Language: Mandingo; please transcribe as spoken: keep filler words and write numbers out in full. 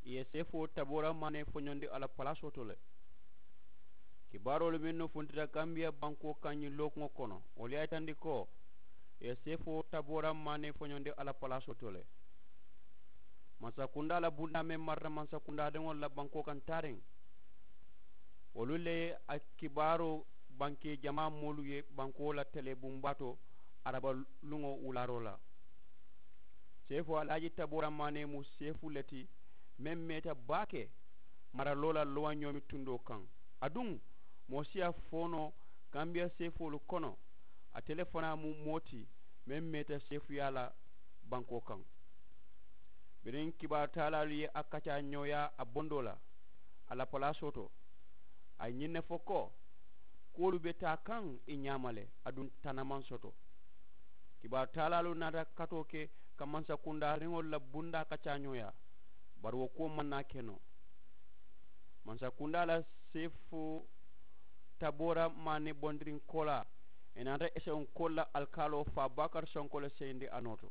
Ì ye seefoo taboora maanee foñondi a la palaasoo to le. Kibaaroolu mennu funtita kambiya bankoo kaŋ ñiŋ lookuŋo kono wolu ye a yitandi ko ì ye seefoo taboora maanee foñondi a la palaasoo to le. Mansakundaa la bundaa meŋ marata mansakundaadiŋolu la bankoo kaŋ taariŋ, wolu le ye a kibaaroo bankee jamaa moolu ye bankoo la telee bumbaa to araba luŋo wulaaroo la. Seefu alaaji taboora maanee mu seefu le ti meŋ meeta baake maraloo la lowañoomi tundoo kaŋ. Aduŋ moo si a fo noo kambiya seefoolu kono ate le fanaa mu moo ti meŋ meeta seefuyaa la bankoo kaŋ. Biriŋ kibaaru taalaalu ye a kaccaa ñooyaa a bondoo la a la palaasoo to, a ye ñiŋ ne fo ko kuwolu be taa kaŋ ì ñaama le aduŋ tana maŋ soto. Kibaaru taalaalu naata katoo ke ka mansakundaariŋolu la bundaa kaccaa ñooyaa, bari wo kuwo maŋ naa ke noo. Mansakundaa la seefoo taboora maani bondiriŋ koolaa, ì naata esewunkoolu la alikaaloo faa baakari sonko le seyindi a noo to.